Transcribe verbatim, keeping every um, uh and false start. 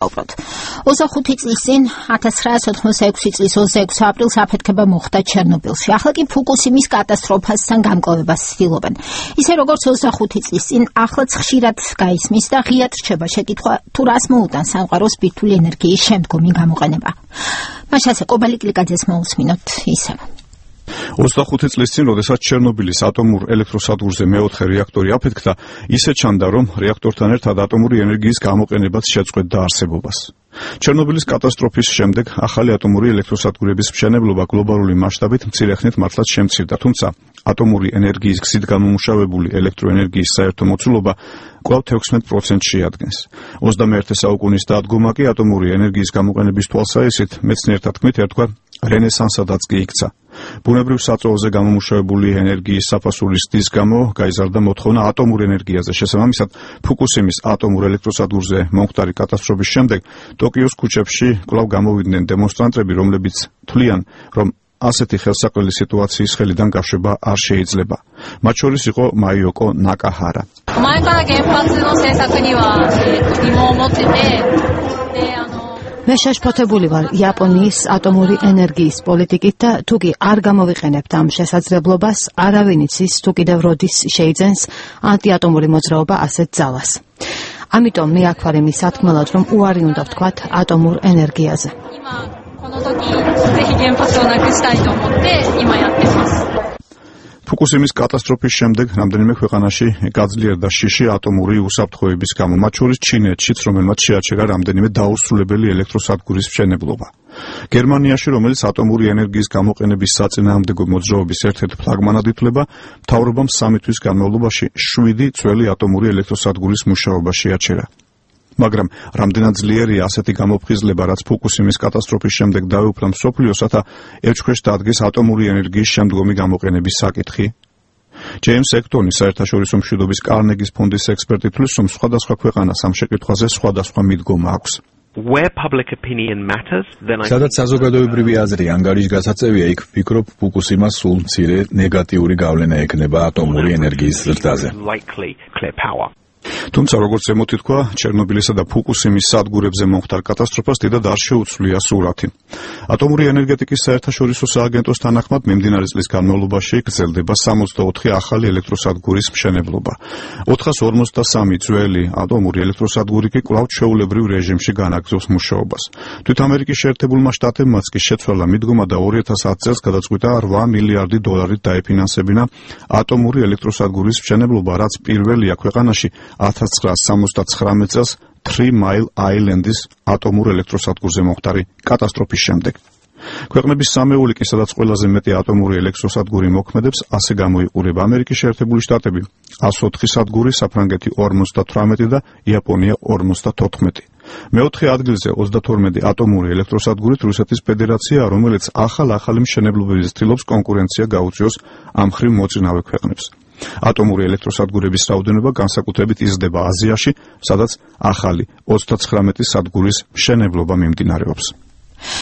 უბრალოდ ოცდახუთი წლის წინ ათას ცხრაასი ოცდაექვსი წლის ოცდაექვსი აპრილს აფეთქება მოხდა ჩერნობილში. ახლა კი ფუკუსიმის კატასტროფასთან გამკლავებას ცდილობენ. ისე როგორც ოცდახუთი წლის წინ ახლაც ხშირად გაისმის და ღიად რჩება შეკითხვა, თუ რას მოუტანს სამყაროს ბირთვული ენერგიის შემდგომი გამოყენება. მაშასე კობალიკლიკაძეს მოусმინოთ ისევ. ოცდახუთი წლის წინ, როდესაც ჩერნობილის ატომურ ელექტროსადგურზე მეოთხე რეაქტორი აფეთქდა, ისე ჩანდა, რომ რეაქტორთან ერთად ატომური ენერგიის გამოყენებაც შეწყვეტდა არსებობას. ჩერნობილის კატასტროფის შემდეგ ახალი ატომური ელექტროსადგურების მშენებლობა გლობალური მასშტაბით მცირე ხნით მართლაც შემცირდა, თუმცა ატომური ენერგიის გზით გამომუშავებული ელექტროენერგიის საერთო მოცულობა კვლავ თექვსმეტ პროცენტს შეადგენს. ოცდამეერთე საუკუნის დადგომა კი ატომური ენერგიის გამოყენების თვალსაჩინით მეცნიერთა თქმით ერთგვარ რენესანსადაც კი იქცა. ბუნებრივ საწვავზე გამომუშავებული ენერგიის საფასურის ზრდის გამო გაიზარდა მოთხოვნა ატომურ ენერგიაზე. შესაბამისად, ფუკუსიმის ატომურ ელექტროსადგურზე მომხდარი კატასტროფის შემდეგ ტოკიოს ქუჩებში კვლავ გამოვიდნენ დემონსტრანტები, რომლებიც თვლიან, რომ ასეთი ხელსაყრელი სიტუაციის ხელიდან გაშვება არ შეიძლება. მათ შორის იყო მაიოკო ნაკაჰარა. მე შეშფოთებული ვარ იაპონიის ატომური ენერგიის პოლიტიკით და თუ კი არ გამოვიყენებთ ამ შესაძლებლობას, არავინ იცის თუ კიდევ როდის შეიძენს ანტიატომური მოძრაობა ასეთ ძალას. ამიტომ მე აქ ვარ იმის სათქმელად, რომ უარი უნდა ვთქვათ ატომურ ენერგიაზე. ფუკუსიმის კატასტროფის შემდეგ რამდენიმე ქვეყანაში გაძლიერდა შიში ატომური უსაფრთხოების გამო, მათ შორის ჩინეთშიც, რომელმაც შეაჩერა რამდენიმე დაუსრულებელი ელექტროსადგურის მშენებლობა. გერმანიაში, რომელიც ატომური ენერგიის გამოყენების საწინააღმდეგო მოძრაობის ერთ-ერთ ფლაგმანად ითვლება, მთავრობამ სამი თვის განმავლობაში შვიდი ძველი ატომური ელექტროსადგურის მუშაობა შეაჩერა. მაგრამ რამდენად ძლიერია ასეთი გამოფხიზლება, რაც ფუკუსიმის კატასტროფის შემდეგ დაეუფლა მსოფლიოსათა ევჩქვეშ დადგეს ატომური ენერგიის შემდგომი გამოყენების საკითხი? ჯეიმს ექტონი, საერთაშორისო მშვიდობის კარნეგის ფონდის ექსპერტი, თვლის, რომ სხვადასხვა ქვეყანას ამ შეკითხვაზე სხვადასხვა მიდგომა აქვს. სადაც საზოგადოებრივი აზრი ანგარიშგასაწევია, იქ ვფიქრობ, ფუკუსიმას სულ მცირე ნეგატიური გავლენა ექნება ატომური ენერგიის ზრდაზე. თუმცა, როგორც ზემოთ ითქვა, ჩერნობილისა და ფუკუსიმის სადგურებზე მომხდარ კატასტროფას დიდად არ შეუცვლია სურათი. ატომური ენერგეტიკის საერთაშორისო სააგენტოს თანახმად, მიმდინარე წლის განმავლობაში გრძელდება სამოცდაოთხი ახალი ელექტროსადგურის მშენებლობა. ოთხას ორმოცდასამი ძველი ატომური ელექტროსადგური კი კვლავ ჩვეულებრივ რეჟიმში განაგრძობს მუშაობას. თვით ამერიკის შეერთებულმა შტატებმაც კი შეცვალა მიდგომა და ორი ათას ათი წელს გადაწყვიტა რვა მილიარდი დოლარით დაეფინანსებინა ატომური ელექტროსადგურის მშენებლობა, რაც პირველია ქვეყანაში ათას ცხრაასი სამოცდათხრამეტ წელს Three Mile Island-ის ატომურ ელექტროსადგურზე მომხდარი კატასტროფის შემდეგ. ქვეყნების სამეული კი, სადაც ყველაზე მეტი ატომური ელექტროსადგური მოქმედებს, ასე გამოიყურება: ამერიკის შეერთებული შტატები εκατს ოთხი სადგური, საფრანგეთი ორმოცდათვრამეტი და იაპონია ორმოცდათოთხმეტი. მეოთხე ადგილზე ოცდათორმეტი ატომური ელექტროსადგურით რუსეთის ფედერაცია, რომელიც ახალ-ახალი მშენებლობებით ცდილობს კონკურენცია გაუწიოს ამ მხრივ მოწინავე ქვეყნებს. ატომური ელექტროსადგურების რაოდენობა განსაკუთრებით იზრდება აზიაში, სადაც ახალი ოცდაცხრამეტი სადგურის მშენებლობა მიმდინარეობს.